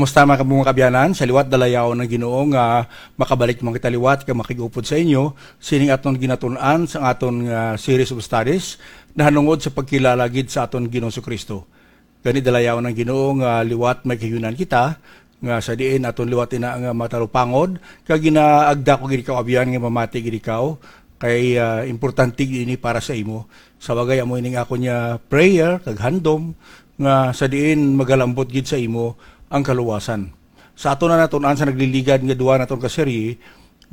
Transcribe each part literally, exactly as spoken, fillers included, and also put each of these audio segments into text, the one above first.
Kumusta, mga kabunga, kaabyanan? Sa liwat, dalayawon ang Ginoo nga makabalik man kita liwat kag makig-upod sa inyo sining aton ginatun-an sa aton nga series of studies nahanungod sa pagkilala gid sa aton Ginoong Kristo. Gani, dalayawon ang Ginoo nga liwat may kahiunan kita, nga sa diin aton liwat ina nga matalupangod, kag ginaagda ko gid ikaw, abyan, nga mamati gid ikaw, kay, ah, importante gid ini para sa imo. Sa bagay, amo ining ako niya prayer kag handom, nga sa diin magalambot gid sa imo ang kaluwasan. Sa aton na natun-an sa nagliligad nga duwa naton ka serye,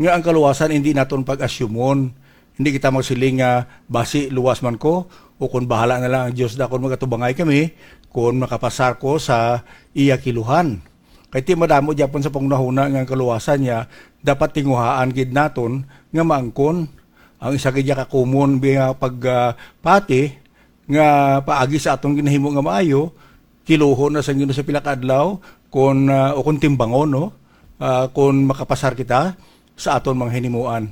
nga ang kaluwasan hindi naton pag-asyumon. Hindi kita magsiling nga, "Basi luwas man ko," o kung, "Bahala na lang ang Dios da kon magatubangay kami, kung makapasar ko sa iya kiluhan." Kay ti madamo gyapon sa panghunahuna nga ang kaluwasan niya dapat tinguhaan gid naton nga maangkon. Ang isa gid ya ka common nga pag, ah, pati nga paagi sa aton ginahimo nga maayo, kiluhon na sang Ginoo sa pila ka adlaw, kon, ah, o kon timbangon, no? Ah, kon makapasar kita sa aton mga hinimuan.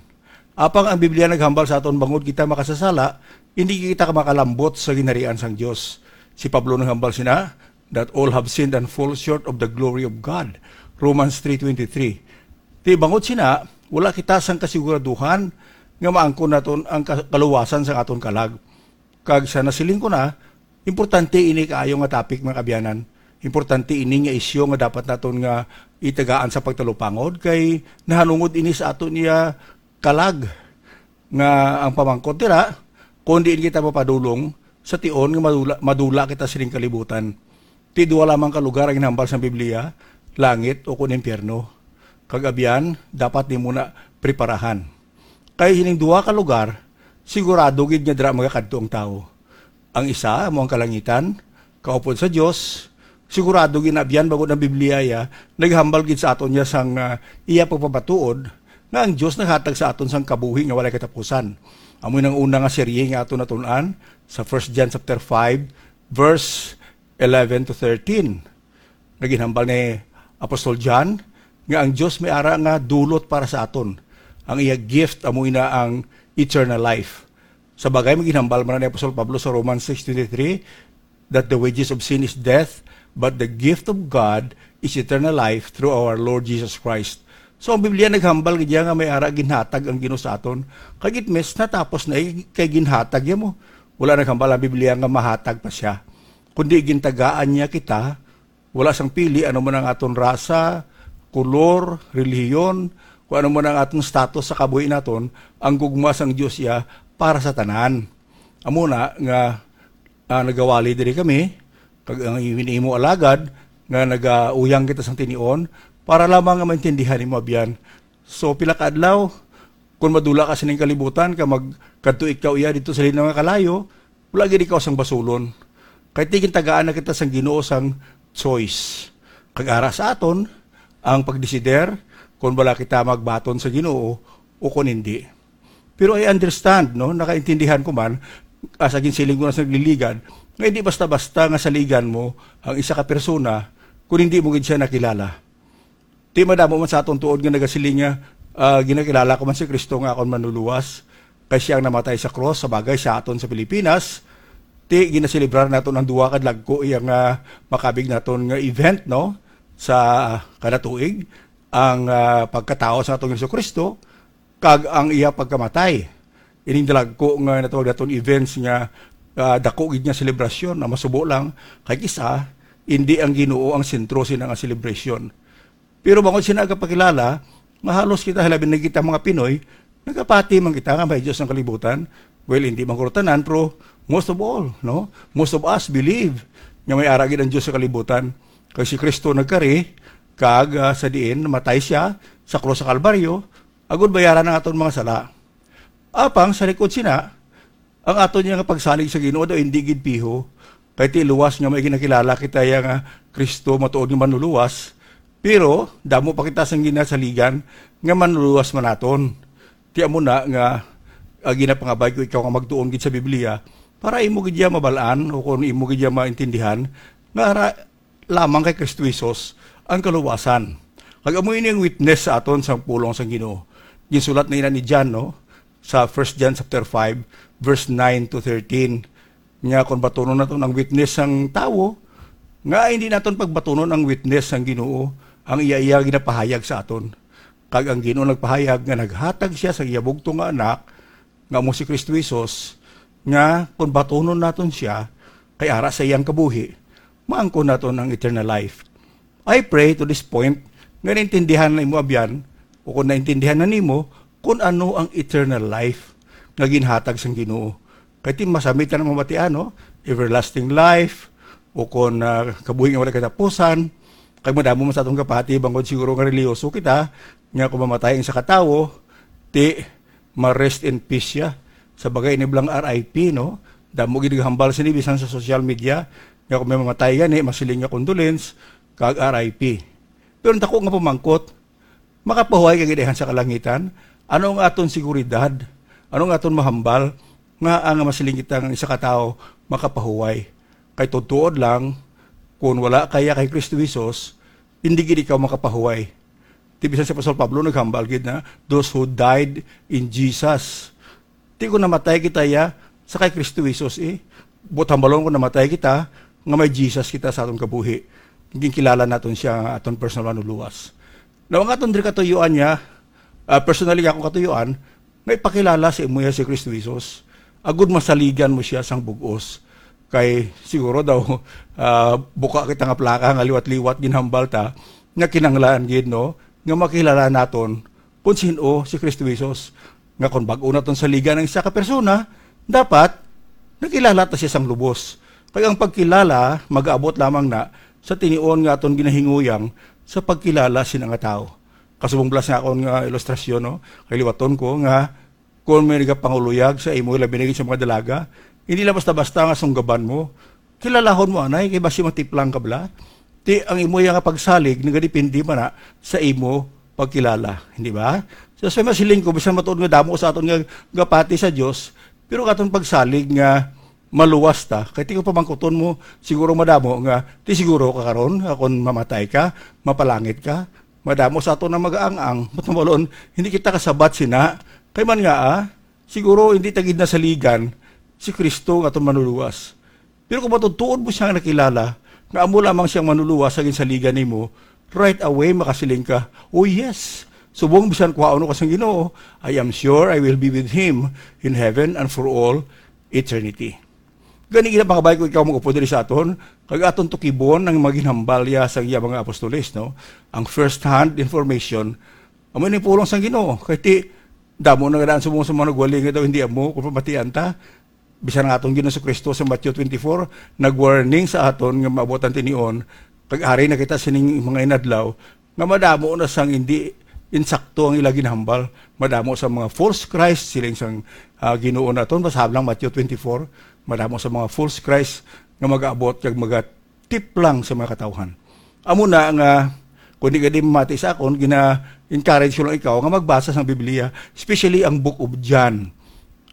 Apang ang Biblia naghambal sa aton bangod kita makasasala, hindi kita makalambot sa ginharian sang Dios. Si Pablo naghambal sina, "That all have sinned and fall short of the glory of God." Romans three twenty-three. Ti bangod sina, wala kita sang kasiguraduhan nga maangkon naton ang ka-, kaluwasan sang aton kalag. Kag sa nasiling ko na, importante ini kaayo nga topic, mga kaabyanan. Importante ini nga isyu nga dapat naton nga itagaan sa pagtalupangod, kay nahanungod ini sa aton iya kalag, nga ang pamangkot dira, kung diin kita mapadulong sa tion nga madula, madula kita sining kalibutan. Ti duha lamang ka lugar ang ginhambal sang Biblia, langit o kon impyerno. Kag abyan, dapat nimo na preparahan. Kay sining duha ka lugar, sigurado gid nga dira magakadto ang tawo. Ang isa amo ang kalangitan, kaupod sa Dios. Sigurado gid na abyan bangod ang Biblia iya naghambal gid sa aton niya sang, ah, iya pagpamatuod nga ang Dios naghatag sa aton sang kabuhi nga walay katapusan. Amo nang una nga serye nga aton natun-an sa First John chapter five, verse eleven to thirteen. Naginhambal ni Apostol John nga ang Dios may ara nga dulot para sa aton, ang iya gift amo ina ang eternal life. Sa bagay, maginhambal man ni Apostol Pablo sa Romans six twenty-three, that the wages of sin is death, but the gift of God is eternal life through our Lord Jesus Christ. So, ang Biblia naghambal gid iya nga may ara ginhatag ang Ginoo sa aton. Kag it means natapos na, eh, kay ginhatag iya mo. Wala naghambal ang Biblia nga mahatag pa siya, kundi gintagaan niya kita. Wala sang pili ano man ang aton rasa, kulor, relihiyon, kung ano man ang aton status sa kabuhi naton, ang gugma sang Dios iya para sa tanan. Amo na nga, ah, nagawali diri kami, kag ang imo alagad nga nagauyang kita sang tinion, para lamang nga maintindihan nimo, abyan. So, pila ka adlaw, kung madula ka sining kalibutan, ka magkadto ikaw iya dito sa linaw nga kalayo, wala gid ikaw sang basulon. Kay ti gintagaan na kita sang Ginoo sang choice. Kag ara sa aton ang pagdesider kon bala kita magbaton sa Ginoo o kon hindi. Pero I understand, no, nakaintindihan ko man, as again, siling ko na sa nagliligad, nga hindi basta-basta nga saligan mo ang isa ka persona kung hindi mo gid siya nakilala. Ti madamo man sa aton tuod nga nagasiling nga, ah, ginakilala ko man si Kristo nga akon manluluwas, kay siya ang namatay sa krus. Sa bagay, sa aton sa Pilipinas, ti ginaselebrar naton ang duha ka dalagko iya nga makabig naton nga event, no, sa kada tuig, ang, ah, pagkatawo sa aton Jesu-Cristo kag ang iya pagkamatay. Ining dalagko nga natawag naton events nga, ah, dako gid nga selebrasyon, ang masubo lang, kay kis-a, hindi ang Ginoo ang sentro sina nga selebrasyon. Pero bangod sina nagapakilala, nga halos kita, hilabi na kita mga Pinoy, nagapati man kita nga may Dios ang kalibutan. Well, hindi man guro tanan, pero most of all, no? Most of us believe nga may ara gid ang Dios sa kalibutan. Kay si Kristo nagkari, kag, ah, sa diin, namatay siya sa krus sa Kalbaryo, agud bayaran ang aton mga sala. Apang sa likod sina, ang aton niya nga pagsalig sa Ginoo daw hindi gid piho, kay ti luwas nga may ginakilala kita iya nga Kristo matuod nga manluluwas, pero damo pa kita sang ginasaligan nga manluluwas man naton. Ti amo na nga, ah, ginapangabay ko ikaw nga magtuon gid sa Biblia para imo gid iya mabal-an o kung imo gid iya maintindihan nga ara lamang kay Kristo Jesus ang kaluwasan. Kag amo ini ang witness sa aton sang pulong sang Ginoo. Ginsulat na ina ni John, no, sa First John chapter five, verse nine to thirteen. Nga kung batunon naton ang witness sang tawo, Nga hindi naton pagbatunon ang witness sang Ginoo, ang iya, iya ginapahayag sa aton. Kag ang Ginoo nagpahayag nga naghatag siya sa iya bugtong nga Anak, nga amo si Kristo Jesus, nga kung batunon naton siya, kay ara sa iyang kabuhi, maangkon naton ang eternal life. I pray to this point nga naintindihan na imo abyan, o kung naintindihan na nimo, kung ano ang eternal life nga ginhatag sang Ginoo. Kay ti masamit na mabatian, no? Everlasting life, o kung, ah, kabuhi nga wala katapusan. Kay madamo man sa atong kapati, bangod siguro nga reliyoso kita, nga kung mamatay ang isa ka tawo, ti ma-rest in peace siya. Sa bagay, ini bala ang R I P, no? Damo gid naghambal sini bisan sa social media, nga kung may mamatay gani, masiling nga condolence, kag R I P. Pero ang dako nga pamangkot, makapahuway ka gid sa kalangitan? Ano ang aton seguridad? Ano ang aton mahambal nga ang masiling kita nga isa ka tawo makapahuway? Kay tuod-tuod lang, kung wala kaya kay Kristo Jesus, hindi gid ikaw makapahuway. Ti bisan si Apostol Pablo naghambal gid na, "Those who died in Jesus." Ti kung namatay kita ya, sa kay Kristo Jesus, eh. Buot hambalon kung namatay kita, nga may Jesus kita sa aton kabuhi. Ginkilala naton siya nga aton personal manluluwas. Now, ang aton diri katuyuan niya, ah, personally nga akong katuyuan, nga ipakilala sa imo ya si Kristo Jesus. Agud masaligan mo siya sang bug-os. Kay siguro daw, ah, buka kita nga plaka nga liwat-liwat ginhambal ta, nga kinahanglan gid, no, nga makilala naton kung sin-o si Kristo Jesus. Nga kung bag-o naton saligan ang isa ka persona, dapat nakilala ta siya sang lubos. Kay ang pagkilala magaabot lamang na sa tinion nga aton ginahinguyang sa pagkilala sina nga tawo. Kasubong bala sa akon nga ilustrasyon, no? Kay liwaton ko nga kung may nagapanguluyag sa imo, labi na gid sa mga dalaga, hindi lang basta-basta nga sunggaban mo. Kilalahon mo anay, kay basi matiplang ka bala. Ti ang imo ya nga pagsalig nagadepende man na sa imo pagkilala, hindi ba? So, sa masiling ko, bisan matuod nga damo sa aton nga gapati sa Dios, pero katon pagsalig nga maluwas ta, kay ti ko pamangkuton mo, siguro madamo nga, ti siguro ka karon, nga kon mamatay ka, mapalangit ka, madamo sa aton ang mag-aang-ang, buot hambalon, hindi kita kasabat sina, kay man nga, ah, siguro hindi ta gid nasaligan si Kristo nga aton manluluwas. Pero kung matuod-tuod mo siya nga nakilala, nga amo lamang siyang manluluwas sa ginsaligan nimo, right away makasiling ka, "Oh yes, subong bisan kuhaon ko sang Ginoo, I am sure I will be with Him in heaven and for all eternity." Gani, ginapangabay ko ikaw mag-upod diri sa aton, kag aton tukibon ang mga ginhambal ya sa iya mga apostoles, no? Ang first-hand information, amo ni pulong sang Ginoo. Kay ti, damo na nga daan subong sa mga nagwali nga daw hindi amo kung pamatian ta. Bisan nga aton Ginoong Jesu-Cristo sa Matthew twenty-four, nag-warning sa aton nga maabot ang tinion, kag ari na kita sining mga inadlaw, nga madamo na sang hindi insakto ang ila ginhambal. Madamo sa mga false Christ, siling sang, ah, Ginoo naton, basahon lang Matthew twenty-four, madamo sa mga false Christ nga mag-abot kag magatiplang sa mga katawhan. Amo na nga, kung di ka di mamati sa akon, gina-encourage ko lang ikaw nga magbasa sang Biblia, especially ang Book of John.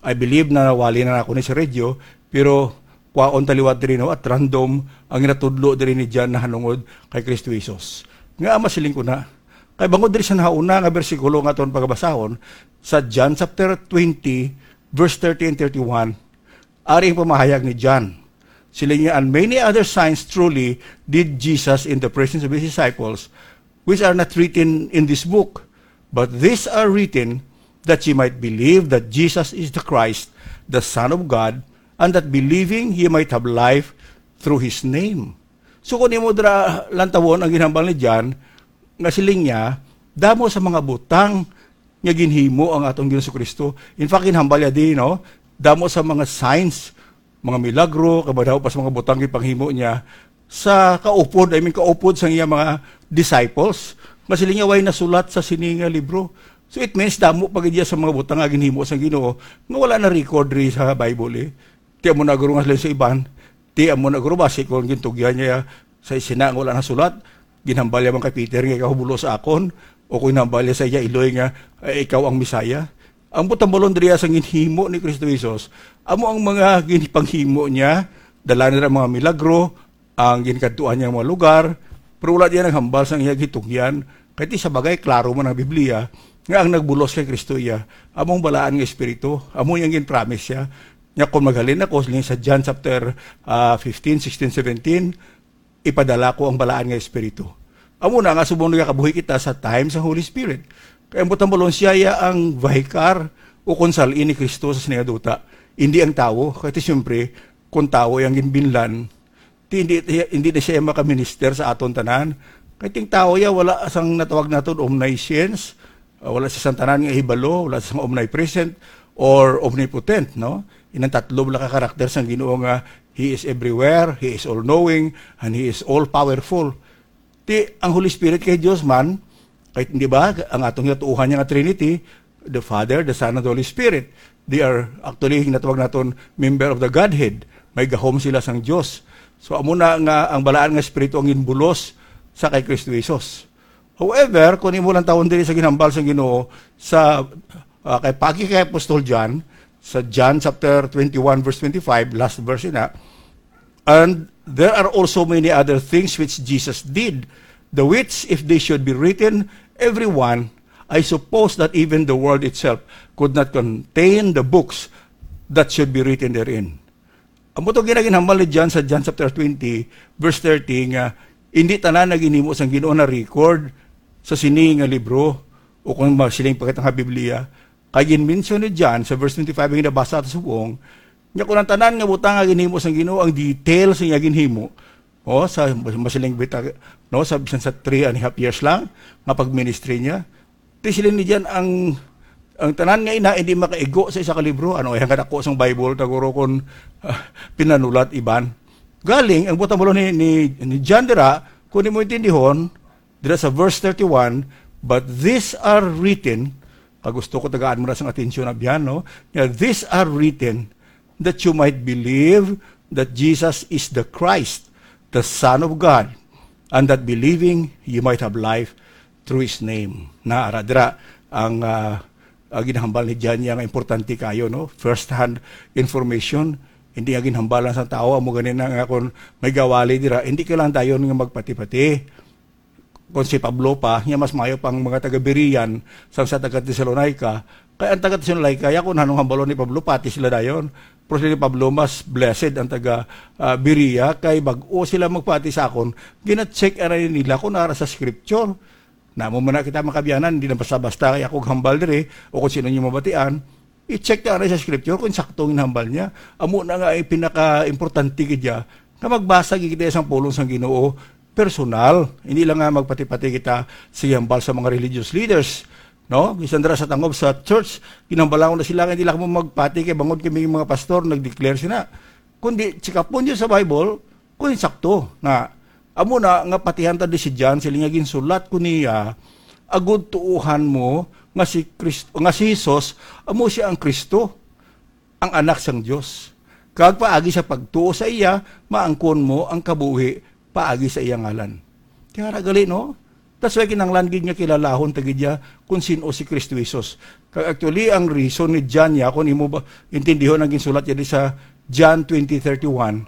I believe na nawali na ako ni sa radio, pero kwaon ta liwat diri, no, at random ang ginatudlo diri ni John nahanungod kay Kristo Jesus. Nga masiling ko na, kay bangod diri sa nahauna nga bersikulo nga aton pagabasahon, sa John chapter twenty, verse thirty and thirty-one, ari ang pamahayag ni John. Siling niya, "And many other signs truly did Jesus in the presence of his disciples, which are not written in this book. But these are written that ye might believe that Jesus is the Christ, the Son of God, and that believing ye might have life through his name." So, kung imo dira lantawon ang ginhambal ni John, nga siling niya, damo sa mga butang nga ginhimo ang atong Ginoong Kristo. In fact, ginhambal niya di, no? Damo sa mga signs, mga milagro, kag madamo pa sa mga butang gipanghimo niya sa kaupod, I mean, kaupod sa iya mga disciples. Nga siling niya, way nasulat sa sini nga libro. So, it means, damo pa gid iya sa mga butang nga ginhimo sa Ginoo nga wala na record diri sa Bible, eh. Ti amo na guro nga sila sa iban. Ti amo na guro basi kung gintugyan niya sa sina nga wala nasulat, ginhambal niya man kay Peter nga ikaw bulo sa akon, o kung ginhambal niya sa iya iloy nga, "Ay, ikaw ang Messiah." Ang buot hambalon diri sa ginhimo ni Kristo Jesus, amo ang mga ginpanghimo niya, dala nila mga milagro, ang ginkadtuan niya nga mga lugar, pero wala diya naghambal sang iya gitugyan. Kay ti sa bagay, klaro man ang Biblia nga ang nagbulos kay Kristo iya, amo ang balaan nga Espiritu, amo yang gin-promise siya. Nya kung maghalin ako, siling sa John chapter, ah, fifteen, sixteen, seventeen, ipadala ko ang Balaan nga Espiritu. Amo na nga subong nagakabuhi kita sa time sa Holy Spirit. Kay ang butang balon siya ya ang vicar o konsalin ni Kristo sa sini nga duta. Hindi ang tawo. Kay ti siyempre, kung tawo yang ginbinlan, ti hindi, hindi na siya makaminister sa aton tanan. Kay ting tawo ya wala sang natawag naton omniscience, uh, wala sa sang tanan nga hibalo, wala sa sang omnipresent or omnipotent, no? Inang tatlo bala ka karakter sang Ginoo nga He is everywhere, He is all-knowing, and He is all-powerful. Ti, ang Holy Spirit kay Dios man, kay, di ba, ang atong ginatuohan niya nga Trinity, the Father, the Son, and the Holy Spirit, they are actually, natawag naton, member of the Godhead. May gahom sila sang Dios. So, amo na nga ang Balaan nga Espiritu ang ginbulos sa kay Kristo Jesus. However, kung imo lang tawon diri sa ginhambal sang Ginoo sa, ah, kay pagi kay Apostol John, sa John chapter twenty-one, verse twenty-five, last verse na, "And there are also many other things which Jesus did, the which, if they should be written, every one, I suppose that even the world itself could not contain the books that should be written therein." Amo to ginaginhambal ni John sa John chapter twenty, verse thirty, nga hindi tanan nga ginhimo sang Ginoo na record sa sini nga libro, o kung ma-, siling pa kita nga Biblia. Kay ginmention ni John sa verse twenty-five nga nabasa ta subong, nga kung ang tanan nga butang nga ginhimo sang Ginoo, ang details nga ginhimo, o, sa, masiling bita, no, sa bisan sa three and a half years lang nga pag-ministry niya, ti siling ni John, ang, ang tanan nga ina hindi makaigo sa isa ka libro. Ano, ay, ang kadako sang Bible, taguro kon, ah, pinanulat iban. Galing, ang butang balon ni, ni, ni John dira, kung imo intindihon, dira sa verse thirty-one, "But these are written," kag gusto ko tagaan mo na sang atensyon, abyan, no? Nga, "These are written that you might believe that Jesus is the Christ, the Son of God, and that believing you might have life through His name." Na, ara, dira, ang, ah, ang ginahambal ni John niya nga importante kayo, no? First-hand information, hindi nga ginhambalan sa tao, amo gani na nga kung may gawali dira, hindi kailangan dayon nga magpati-pati. Kung si Pablo pa, niya mas mayo pang mga taga-Berean sang sa taga-Tesalonica. Kay ang taga-Tesalonica, ya kung anong hambalon ni Pablo, pati sila dayon. Pero si Pablo, mas blessed ang taga, ah, Berea, kay bag-o sila magpati sa akon, gina-check anay nila kung ara sa scripture. Namo man na kita makabiyanan, hindi na basta-basta kay ako hambal diri, o kung sino niyo mabatian, i-check ta anay sa scripture kung sakto ang hinambal niya. Amo na nga ay pinaka-importante gid ya, nga magbasa gid kita sang pulong sang Ginoo personal. Hindi lang nga magpati-pati kita sa hambal sa mga religious leaders, no? Bisan dira sa tangob sa church, ginhambalan ko na sila nga hindi lang mo magpati kay bangod kami mga pastor nag-declare sina. Kundi check up mo niyo sa Bible, kung sakto na amo na nga patihan ta di si John, siling nga ginsulat ko niya, agud tuohan mo nga si Kristo, nga si Jesus amo siya ang Kristo, ang Anak sang Dios. Kag paagi sa pagtuo sa iya, maangkon mo ang kabuhi paagi sa iya ngalan. Kaya ra gali, no? That's why kinahanglan gid nga kilalahon ta gid ya kung sin-o si Kristo Jesus. Kag actually, ang reason ni John ya, kung imo ba intindihon ang ginsulat niya di sa John twenty thirty-one,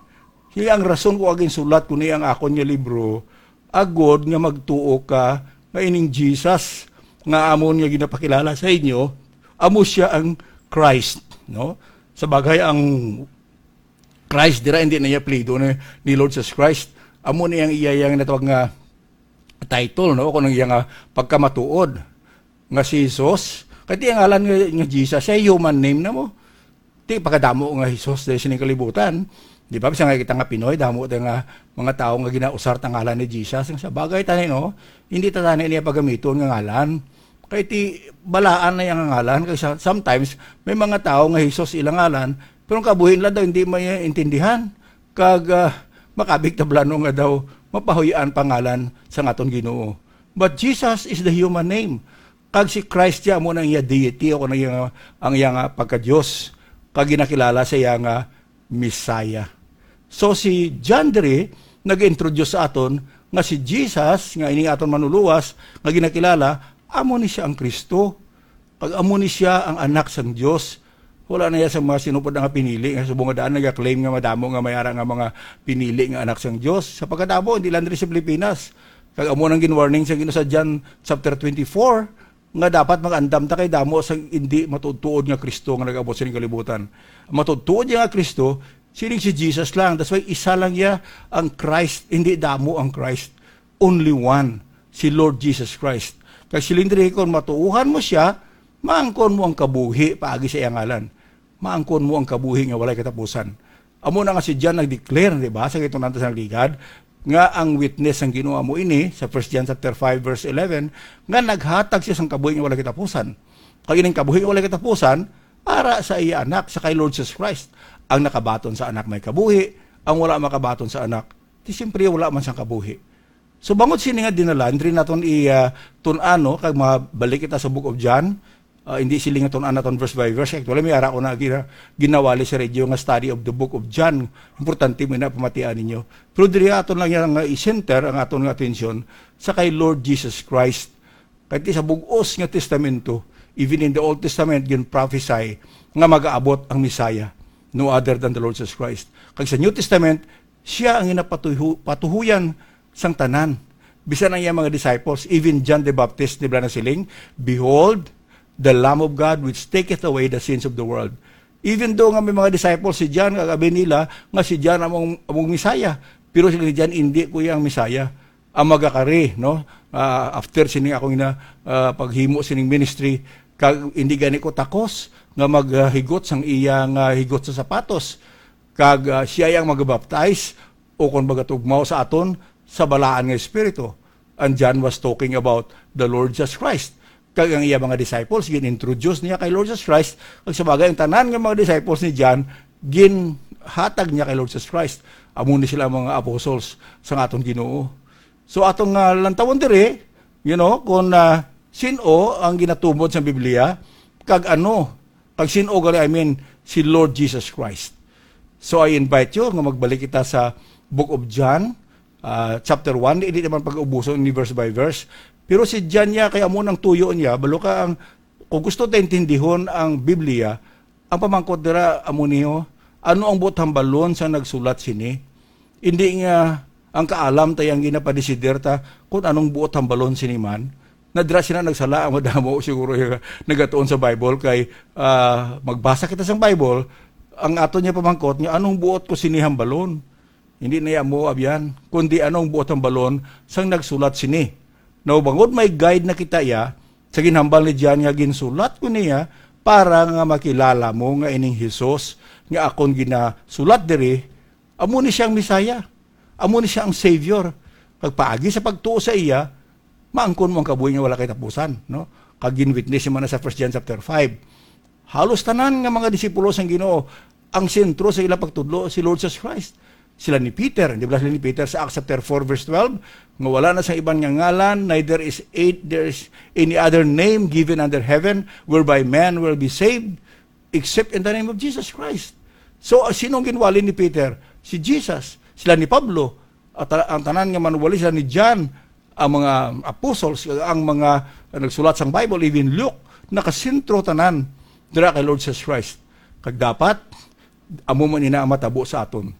siya ang rason ko ginsulat ko ni ang akon nga libro, agod nga magtuo ka nga ining Jesus nga amon nga ginapakilala sa inyo, amo siya ang Christ, no? Sa bagay, ang Christ dira, hindi na iya apelyido ni, ni Lord Jesus Christ. Amo ni ang iya, iya nga natawag nga title, no? Kung ang iya nga pagkamatuod nga si Jesus. Kay ti ang ngalan nga, nga Jesus, siya human name na mo. Ti pagkadamo nga Jesus diri sining kalibutan. Di ba? Bisan nga kita nga Pinoy, damo ta nga mga tawo nga ginausar ta ngalan ni Jesus. Ang sa bagay tani, no? Hindi ta tani niya pagamiton nga ngalan. Kay ti balaan na yang ngalan. Kay sa-, sometimes, may mga tawo nga Jesus ilang ngalan, pero ang kabuhi nila daw hindi maintindihan. Kag, ah, makabig tablano nga daw mapahuy-an pangalan sa aton Ginoo. But Jesus is the human name. Kag si Christ siya amo na ang iya deity o ang iya, ang iya nga pagka-Dios. Kag ginakilala sa iya nga Messiah. So si John diri nag-introduce sa aton nga si Jesus nga ini aton manuluwas nga ginakilala, amo ni siya ang Kristo. Kag amo ni siya ang Anak sang Dios. Wala na iya sa mga sinupod nga pinili nga subong nga daan nagaklaim nga madamo nga may ara nga mga pinili nga anak sang Dios. Sa pagkadamo, hindi lang diri sa Pilipinas. Kag amo nang ginwarning sa Ginoo sa John chapter twenty-four, nga dapat mag-andam ta kay damo sang hindi matuod-tuod nga Kristo nga nag-abot sa kalibutan. Ang matuod-tuod nga Kristo, Siling si Jesus lang. That's why isa lang iya ang Christ, hindi damo ang Christ. Only one, si Lord Jesus Christ. Kag siling diri, kung matuohan mo siya, maangkon mo ang kabuhi paagi sa iya ngalan. Maangkon mo ang kabuhi nga walay katapusan. Amo na nga si John nag-declare, di ba, sa gitong nanta sa nagligad, nga ang witness sang Ginoo amo ini, sa First John chapter five, verse eleven, nga naghatag siya sang kabuhi nga walay katapusan. Kag ining kabuhi nga walay katapusan, ara sa iya Anak, sa kay Lord Jesus Christ. Ang nakabaton sa Anak may kabuhi, ang wala makabaton sa Anak, di siyempre wala man sang kabuhi. So, bangod sini nga dinala, diri naton i, ah, tun-an, no? Kag mabalik kita sa Book of John, ah, hindi sila nga tun-an naton verse by verse. Actually, may ara ko na gina-, ginawali sa radio nga study of the Book of John. Importante mo na pamatian ninyo. Pero diri aton lang yan nga i-center ang aton nga atensyon sa kay Lord Jesus Christ. Kay ti sa bug-os nga testamento, even in the Old Testament, gin-prophesy nga magaabot ang Messiah, no other than the Lord Jesus Christ. Kag sa New Testament, siya ang ginapatuhu-, patuhuyan sang tanan. Bisan ang iyang mga disciples, even John the Baptist, di ba nasiling, "Behold, the Lamb of God which taketh away the sins of the world." Even though nga may mga disciples si John, kag abi nila nga si John among, among Messiah, pero sila ni John, "Hindi ko iya ang Messiah." Ang magakari, no? Ah, after sining akong ina, ah, paghimo sining ministry, kag hindi gani ko takos nga maghigot sang iya nga higot sa sapatos, kag, ah, siya ang magabaptize, o kon magatugmaw sa aton sa balaan nga Espiritu. And John was talking about the Lord Jesus Christ. Kag ang iya mga disciples, gin-introduce niya kay Lord Jesus Christ. Kag sa bagay, ang tanan nga mga disciples ni John, ginhatag niya kay Lord Jesus Christ. Amo ni sila ang mga apostles sang aton Ginoo. So, atong, ah, lantawon diri, you know, kung, ah, sin-o ang ginatumod sa Biblia, kag ano, kag sin-o gali, I mean, si Lord Jesus Christ. So, I invite you nga magbalik kita sa Book of John, ah, chapter one. Hindi naman pag-ubuson ni verse by verse. Pero si John niya, kaya mo nang tuyo niya, balo ka ang, kung gusto ta intindihon ang Biblia, ang pamangkot dira amo niyo, ano ang buot hambalon sa nagsulat sini? Hindi nga ang kaalam ta ang ginapadesider ta kung anong buot hambalon sini man. Nadira sila nagsala ang madamo siguro yung nagatuon sa Bible kay, ah, magbasa kita sa Bible, ang ato niya pamangkot nga anong buot ko sini hambalon. Hindi na iya mo abyan, kundi anong buot hambalon sang nagsulat sini. Now, bangod may guide na kita iya, sa ginhambal ni John nga ginsulat ko niya para nga makilala mo nga ining Jesus nga akon ginasulat diri, amo ni siyang Messiah. Amo ni siya ang Savior. Kag paagi sa pagtuo sa iya, maangkon mo ang kabuhi nga wala kay tapusan, no? Kag gin-witness man na sa First John chapter five. Halos tanan nga mga disipulo sang Ginoo, ang sentro sa ilang pagtudlo si Lord Jesus Christ. Sila ni Peter, di ba sila ni Peter sa Acts chapter four verse twelve, nga wala na sa iban nga ngalan, neither is eight, there is any other name given under heaven whereby man will be saved except in the name of Jesus Christ. So, sino ang ginwali ni Peter? Si Jesus. Sila ni Pablo, at ta-, ang tanan nga manuwali, sila ni John, ang mga apostles, ang mga nagsulat sang Bible, even Luke, nakasentro tanan dira kay Lord Jesus Christ. Kag dapat, amo man ina ang matabo sa aton.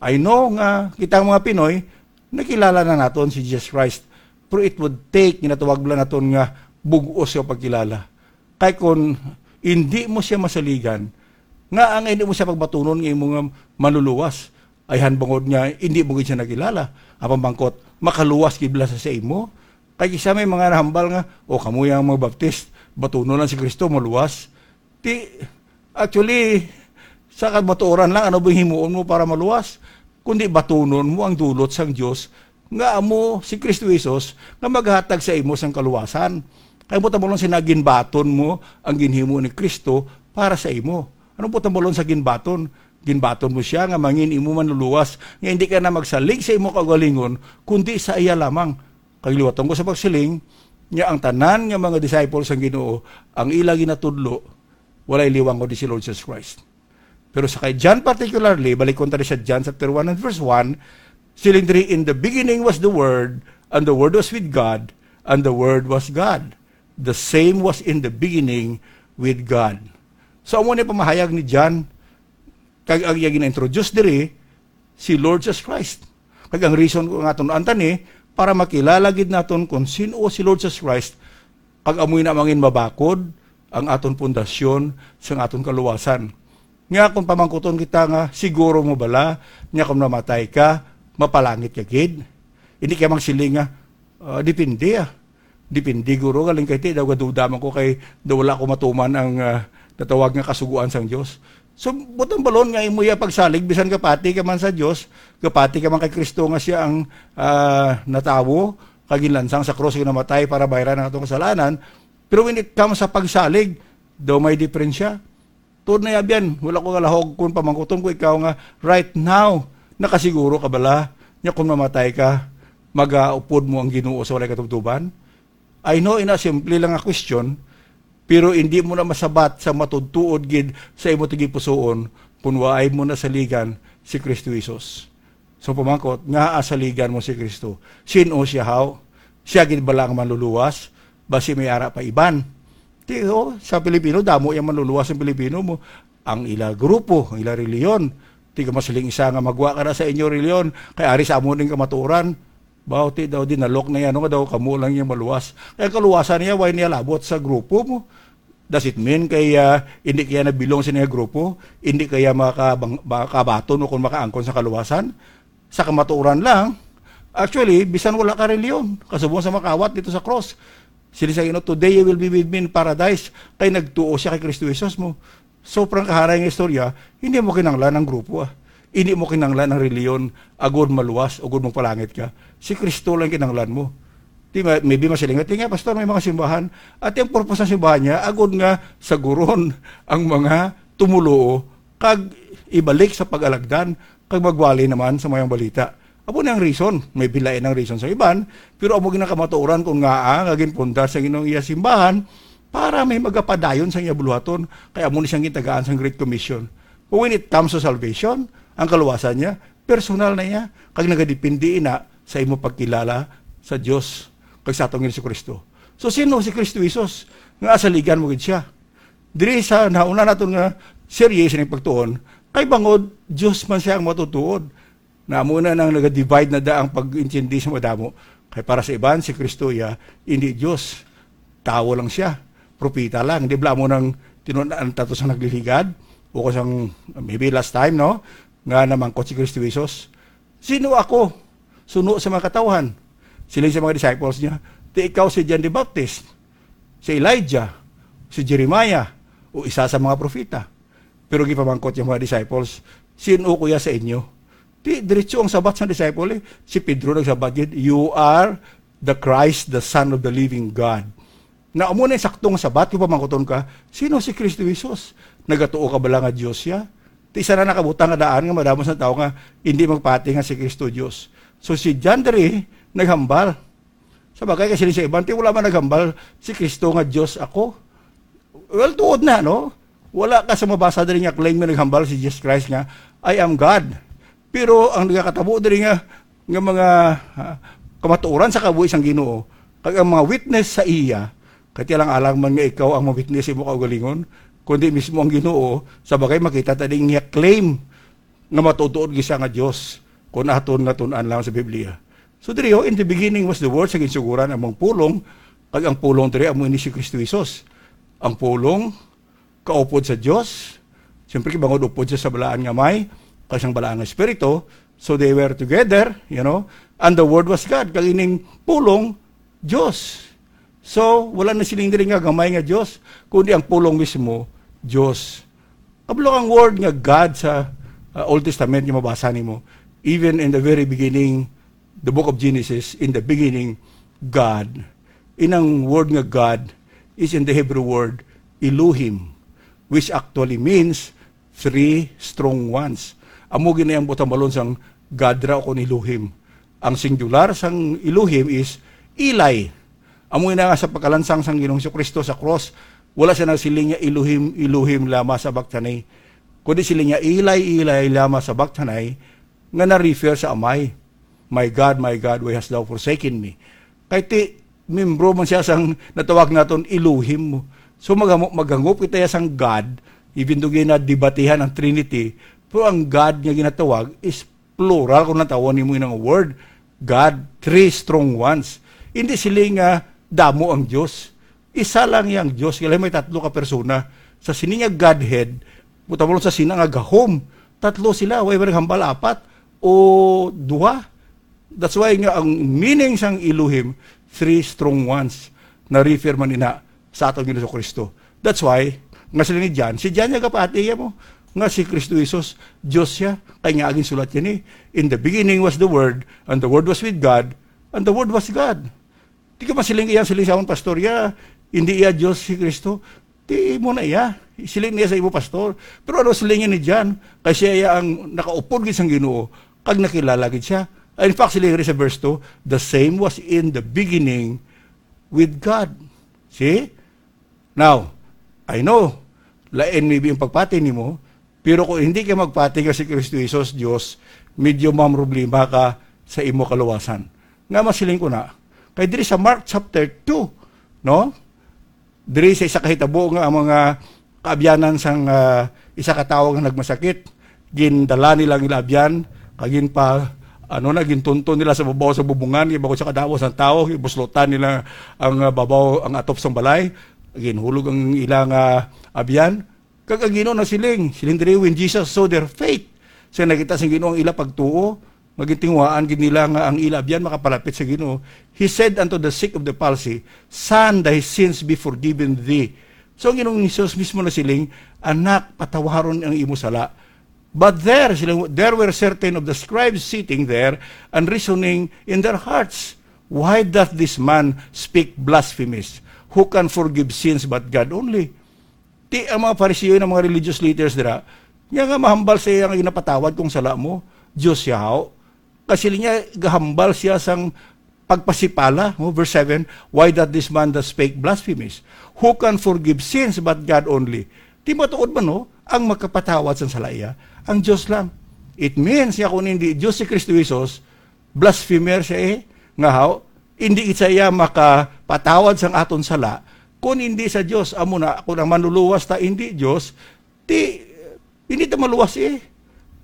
I know nga kita, mga Pinoy, nakilala na naton si Jesus Christ, pero it would take, ginatawag lang naton nga bug-os nga pagkilala. Kay kun hindi mo siya masaligan, nga ang hindi mo siya pagbatunon nga imo nga manluluwas, ay han bangod nga hindi mo gid siya nakilala. Ang pamangkot, makaluwas gid bala sa, sa imo? Kay kisa may mga nahambal nga, "O, kamo yang mga Baptist, batunon lang si Kristo, maluwas." Ti, actually, sa kamatuoran lang, ano ba himuon mo para maluwas? Kundi batunon mo ang dulot sang Dios nga amo si Kristo Jesus nga maghatag sa imo sang kaluwasan. Kay mo tamulong sina ginbaton mo ang ginhimo ni Kristo para sa imo. Ano po tamulong sa ginbaton? Ginbaton mo siya nga mangin imo manluluwas, nga hindi ka na magsalig sa imo kaugalingon, kundi sa iya lamang. Kag liwaton ko sa pagsiling, nga ang tanan nga mga disciples sang Ginoo, ang ila ginatudlo, walay liwang kundi si Lord Jesus Christ. Pero sa kay John particularly, balikon ta sa John chapter one and verse one, siling diri, "In the beginning was the Word, and the Word was with God, and the Word was God. The same was in the beginning with God." So, amo ni pamahayag ni John, kag ang iya gina-introduce diri, si Lord Jesus Christ. Kag ang reason ko nga tun-an ta ni, para makilala gid naton kung sin-o si Lord Jesus Christ, kag amoy na mangin mabakod ang aton pundasyon sang aton kaluwasan. Nga kung pamangkuton kita nga, "Siguro mo bala nga kung mamatay ka, mapalangit ka gid?" Hindi ka magsiling nga, "Ah, depende, ah. Depende, guro, galing kay ti daw gaduda man ko kay daw wala ko matuman ang, ah, natawag nga kasugoan sang Dios." So, butang balon nga imo iya pagsalig, bisan gapati ka man sa Dios, gapati ka man kay Kristo nga siya ang, ah, natawo, kag ginlansang sa krus, kag namatay para bayran ang atong kasalanan. Pero when it comes sa pagsalig, daw may diferensya. Tuod na, Abyan, wala ko kalahog kung pamangkuton ko ikaw nga, right now, nakasiguro ka bala nga kung mamatay ka, magaupod mo ang Ginoo sa walay katubtoban? I know, ina, simple lang nga question, pero hindi mo na masabat sa matudtuod gid sa imo tagipusoon kung waay mo nasaligan si Kristo Jesus. So, pamangkot, ngaa saligan mo si Kristo? Sin-o siya, haw? Siya gid bala ang manluluwas? Basi may ara pa iban? Ti, oh, sa Pilipino, damo yang manluluwas ang Pilipino mo. Ang ila grupo, ang ila reliyon. Ti ka masiling isa nga magwa ka na sa inyo reliyon, kay ari sa amo ning kamatuoran. Baw, ti daw dinalok na yan, nga daw kamo lang yung maluwas. Kaya kaluwasan niya, why niya labot sa grupo mo? Does it mean kay, ah, hindi kaya na-belong sa niya grupo? Hindi kaya makabang-, makabaton o kung makaangkon sa kaluwasan? Sa kamatuoran lang, actually, bisan wala ka reliyon, kasubong sa makawat dito sa cross. Sila sa Ginoo, "Today you will be with me in paradise." Kay nagtuo siya kay Kristo Jesus mo. Sobrang kaharay nga istorya, hindi mo kinanglan ang grupo, ah. Hindi mo kinanglan ang reliyon, agod maluwas, agod magpalangit ka. Si Kristo lang kinanglan mo. Di ba, maybe masilingat, "Di nga, pastor, may mga simbahan." At yung purpose ng simbahan niya, agod nga saguron ang mga tumuluo, kag ibalik sa pag-alagdan, kag magwali naman sa mayong balita. Amo ni ang reason, may bilain ang reason sa iban, pero amo ginakamatuoran kung ngaa nga ginpundar sa Ginoong iya simbahan para may magapadayon sa iya buluhaton, kay amo ni siyang gitagaan sang Great Commission. But when it comes to salvation, ang kaluwasan niya, personal na niya, kag nagadepende ina sa imo pagkilala sa Dios kag sa atong Jesu-Cristo. So, sino si Kristo Jesus nga asaligan mo gid siya? Diri sa nauna naton nga serye sa pagtuon, kay bangod Dios man siya ang matutuod. Na amo na nang naga-divide na da ang pag-intindi sa madamo. Kay para sa iban, si Kristo iya, hindi Dios. Tawo lang siya. Propeta lang. Di bala mo nang tinun-an tato sa nagliligad? O kung sang, maybe last time, no? Nga namangkot si Kristo Jesus, "Sino ako?" Suno sa mga katawhan. Siling sa mga disciples niya, "Ti ikaw si John the Baptist, si Elijah, si Jeremiah, o isa sa mga propeta." Pero gipamangkot yung mga disciples, "Sino kuya sa inyo?" Ti, diretso ang sabat sa disciple, eh. Si Pedro nagsabat gid, "You are the Christ, the Son of the living God." Na amo na yung sakto nga sabat, kung pamangkuton ka, "Sino si Kristo Jesus? Nagatuo ka bala nga Dios siya?" Ti, isa na nakabutang nga daan nga madamo sa tao nga hindi magpati nga si Kristo Dios. So, si John diri naghambal. Sa bagay, kasi sa iban, ti, wala man naghambal, "Si Kristo nga Dios ako." Well, tuod na, no? Wala ka sa mabasa diri nga claim nga naghambal si Jesus Christ nga, "I am God." Pero ang nagakatabo diri nga, nga mga, ah, kamatuoran sa kabuhi sang Ginoo, kag ang mga witness sa iya, kay ti alang-alang man nga ikaw ang ma-witness sa imo kaugalingon, kundi mismo ang Ginoo, sa bagay makita ta ding niya claim nga matuod-tuod gid siya nga Dios, kung aton nga tun-an lang sa Biblia. So diri, oh, "In the beginning was the Word," sa ginsuguran among pulong, kag ang pulong diri amo ini si Kristo Jesus. Ang pulong kaupod sa Dios, siyempre, kay bangod upod siya sa balaan nga may, kag sang balaan nga espiritu, so they were together, you know, and the Word was God. Kag ining pulong, Dios. So, wala na siling diri nga gamay nga Dios, kundi ang pulong mismo, Dios. Kabalo ang word nga God sa, uh, Old Testament nga mabasa nimo. Even in the very beginning, the book of Genesis, in the beginning, God. Inang word nga God is in the Hebrew word Elohim, which actually means three strong ones. Amo gid na ang butambalon sang God ra o kon Elohim. Ang singular sang Elohim is Eli. Amo na nga sa pagkalansang sang Ginoong Jesu-Cristo sa cross, wala siya nagsiling nga, "Elohim, Elohim, lama sabachthani?" Kundi siling niya, "Eli, Eli, lama sabachthani?" Nga na-refer sa Amay, "My God, my God, why hast thou forsaken me?" Kay ti, membro man siya sang natawag naton Elohim. So, maghamo-, maghangop kita ya sang God, even though ginadebatihan ang Trinity, pero ang God nga ginatawag is plural kung natawag nimo inang word, God, three strong ones. Hindi sila nga damo ang Dios. Isa lang yang Dios, kaya may tatlo ka persona. Sa sini nga Godhead, Buta mo lang sa Sina nga gahom. Tatlo sila, wala man naghambal apat o duha. That's why nga ang meaning sang Elohim, three strong ones, na refer man ina sa aton Ginoong Kristo. That's why, nga sila ni John, si John nga gapati mo, nga si Kristo Jesus, Dios siya, kay nga agin sulat yan eh. In the beginning was the Word, and the Word was with God, and the Word was God. Di ka masiling iya, siling sa amon pastor iya, hindi iya Dios si Kristo. Di mo na iya. Siling niya sa imo pastor. Pero ano siling ni John? Kay siya iya ang nakaupod gid sang Ginoo, kag nakilala gid siya. In fact, siling rin sa verse two, "The same was in the beginning with God." See? Now, I know, lain maybe yung pagpati nimo, pero kung hindi ka magpati nga si Kristo Jesus, Dios, medyo mamroblema ka sa imo kaluwasan. Nga masiling ko na, kay diri sa Mark chapter two, no? Diri sa isa ka hitabo nga ang mga kaabyanan sang, ah, isa ka tawo nga nagmasakit, gindala nila ang ila abyan, kag ginpa-, ano na, gintunton nila sa babaw sa bubungan, kay bangod sa kadamo sang tawo, gibuslotan nila ang, ah, babaw, ang atop sang balay, ginhulog ang ila nga abyan, kag ang Ginoo nasiling, siling diri, "When Jesus saw their faith," sa nakita sang Ginoo ang ila pagtuo, nga gintinguhaan gid nila nga ang ila abyan makapalapit sa Ginoo, He said unto the sick of the palsy, "Son, thy sins be forgiven thee." So ang Ginoong Jesus mismo nasiling, "Anak, patawaron ang imo sala." But there, sila, there were certain of the scribes sitting there and reasoning in their hearts, "Why doth this man speak blasphemies? Who can forgive sins but God only?" Ti ang mga Fariseo, ang mga religious leaders dira, nga, nga mahambal sa iya nga ginapatawad kung sala mo, Dios siya, haw. Kasi niya, gahambal siya sang pagpasipala, no? Verse seven, "Why doth this man that spake blasphemies? Who can forgive sins but God only?" Ti matuod man, no? Ang makapatawad sang sala iya, ang Dios lang. It means nga kung hindi Dios si Kristo Jesus, blasphemer siya eh. Nga haw, hindi gid siya makapatawad sang aton sala kung hindi sa Dios. Amo na, kung ang manluluwas ta hindi Dios, ti, hindi ta maluwas eh.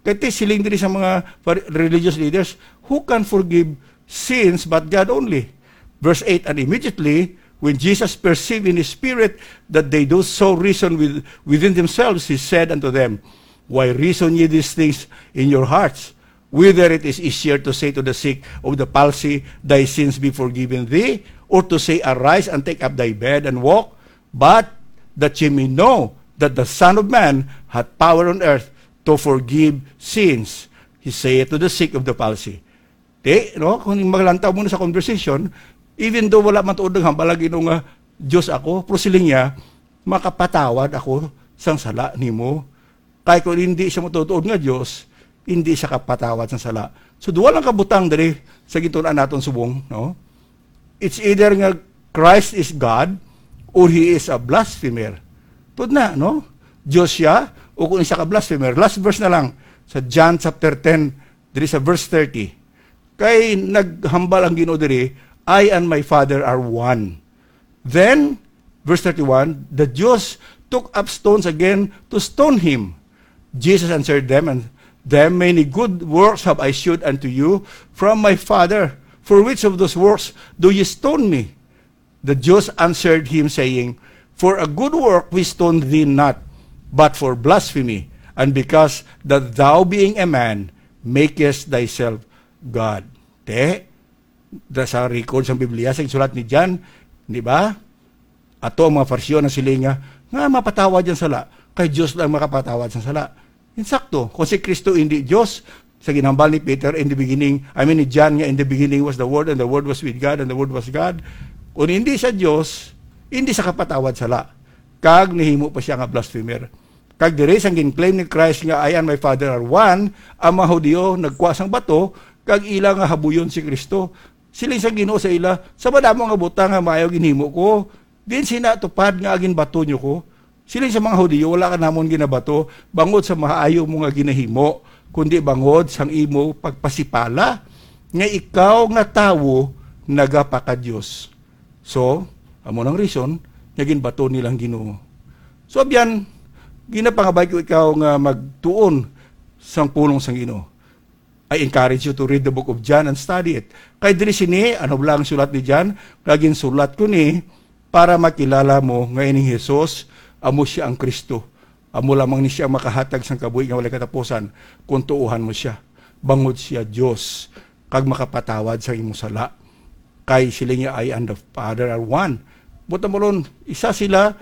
Kay ti siling diri sa mga par-, religious leaders, "Who can forgive sins but God only?" Verse eight, "And immediately, when Jesus perceived in his spirit that they do so reason with, within themselves, he said unto them, Why reason ye these things in your hearts? Whether it is easier to say to the sick of the palsy, 'Thy sins be forgiven thee,' or to say, 'Arise and take up thy bed and walk'? But that ye may know that the Son of Man hath power on earth to forgive sins," he saith to the sick of the palsy. Di, no? Kung maglantaw mo na sa conversation, even though wala man tuod naghambal ang Ginoo nga, "Dios ako," pero siling niya, "Makapatawad ako sang sala nimo." Kay kung hindi siya matutuod nga Dios, hindi siya kapatawad sang sala. So, duha lang ka butang diri sa gintun-an naton subong, no? It's either nga Christ is God or he is a blasphemer. Tuod na, no? Dios siya o kung isa ka blasphemer. Last verse na lang sa John chapter ten, diri sa verse thirty. Kay naghambal ang Ginoo diri, "I and my Father are one." Then, verse thirty-one, the Jews took up stones again to stone him. Jesus answered them and them, "Many good works have I shewed unto you from my Father. For which of those works do ye stone me?" The Jews answered him, saying, "For a good work we stone thee not, but for blasphemy, and because that thou, being a man, makest thyself God." Te, da sa record sa Biblia, sa sulat ni John, di ba? Ato ang mga Fariseo na sila nga, nga mapatawad ang sala, kay Dios lang makapatawad sa sala. Insakto, kung si Kristo hindi Dios, sa ginhambal ni Peter, "In the beginning," I mean, ni John nga, "In the beginning was the Word, and the Word was with God, and the Word was God." Kung hindi sa Dios, hindi sa kapatawad sala. Kag nahimo pa siya nga blasphemer. Kag diri sang gin-claim ni Christ nga, "I and my Father are one," ang mga Hudiyo nagkuha sang bato, kag ila nga habuyon si Kristo. Siling sang Ginoo sa ila, "Sa madamo nga butang nga maayo ginhimo ko, din sina tupad nga aginbato nyo ko?" Siling sa mga Hudiyo, "Wala ka namon ginabato bangod sa maayo mo nga ginahimo, kundi bangod sang imo pagpasipala nga ikaw nga tawo nagapaka-Dios." So, amo nang reason nga ginbato nilang Ginoo. So, abyan, ginapangabay ko ikaw nga magtuon sang pulong sang Ginoo. I encourage you to read the book of John and study it. Kay diri sini, ano lang ang sulat ni John, nga ginsulat ko ni para makilala mo nga ining Jesus, amo siya ang Kristo. Amo lamang ni siya makahatag sang kabuhi nga walay katapusan kung tuohan mo siya. Bangod siya Dios, kag makapatawad sa imo sala. Kay siling niya, "I and the Father are one." Buot silingon, isa sila,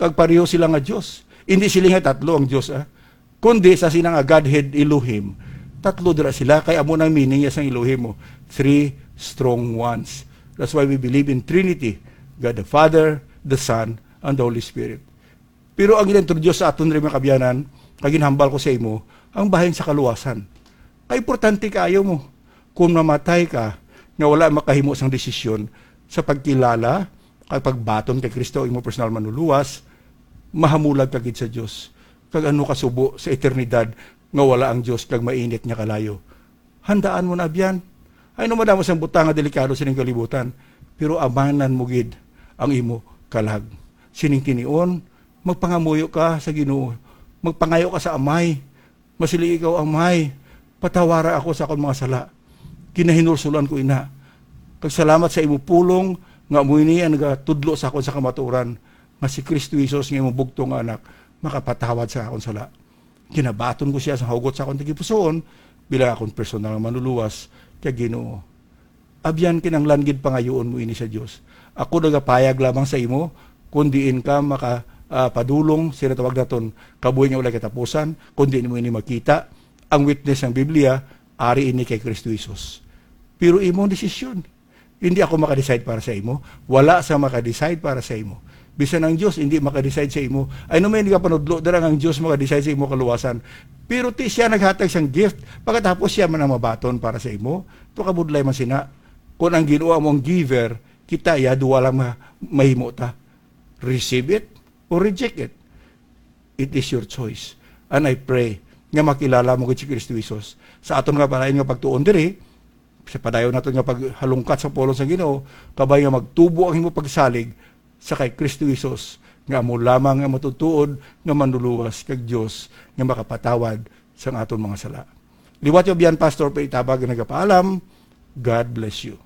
kag pareho sila nga Dios. Hindi sila nga tatlo ang Dios, ah. Kundi sa sila nga Godhead Elohim, tatlo dira sila, kay amo nang meaning niya sang Elohim mo, three strong ones. That's why we believe in Trinity, God the Father, the Son, and the Holy Spirit. Pero ang gin-introduce sa aton rin, mga kabyanan, kag ginhambal ko sa imo, ang bahin sa kaluwasan. Kay importante kaayo mo. Kung mamatay ka nga wala makahimo sang desisyon sa pagkilala kag pagbaton kay Kristo, imo personal manluluwas, mahamulag ka gid sa Dios. Kag ano kasubo sa eternidad nga wala ang Dios kag mainit nga kalayo? Handaan mo na, abyan. Ay, no, madamo sang butang nga delikado sining kalibutan, pero amanan mo gid ang imo kalag. Sining tinion, magpangamuyo ka sa Ginoo, magpangayo ka sa Amay. Masiling ikaw, "Amay, patawara ako sa akon mga sala. Ginahinulsulan ko ina. Kag salamat sa imo pulong nga amo ini ang nagatudlo sa akon sa kamatuoran, nga si Kristo Jesus nga imong bugtong nga Anak makapatawad sa akon sala." Ginabaton ko siya sa hugot sa akon tagipusoon bilang akon personal nga manluluwas kag Ginoo. Abyan, kinahanglan gid pangayuon mo ini sa Dios. Ako nagapayag lamang sa imo kon diin ka maka, ah, padulong sa ginatawag naton kabuhi nga walay katapusan, kon diin mo ini makita. Ang witness sang Biblia, ari ini kay Kristo Jesus. Pero imong desisyon. Hindi ako maka-decide para sa imo. Wala sa maka-decide para sa imo. Bisan ang Dios hindi maka-decide sa imo. Ay, no, may nagapanudlo dira nga ang Dios maka-decide sa imo kaluwasan. Pero ti siya naghatag sang gift, pagkatapos siya man ang mabaton para sa imo. To, kabudlay man sina. Kung ang Ginoo amo ang giver, kita ya duwa lang ma-, mahimo ta. Receive it or reject it. It is your choice. And I pray nga makilala mo gid si Kristo Jesus. Sa aton nga palain nga pagtuon diri, sa padayon naton nga paghalungkat sa pulong sa Ginoo, kabay nga magtubo ang imo pagsalig sa kay Kristo Jesus, nga amo lamang nga matutuod nga manluluwas kag Dios nga makapatawad sang aton mga sala. Liwat, abyan, Pastor, pa itabag nga nagapaalam. God bless you.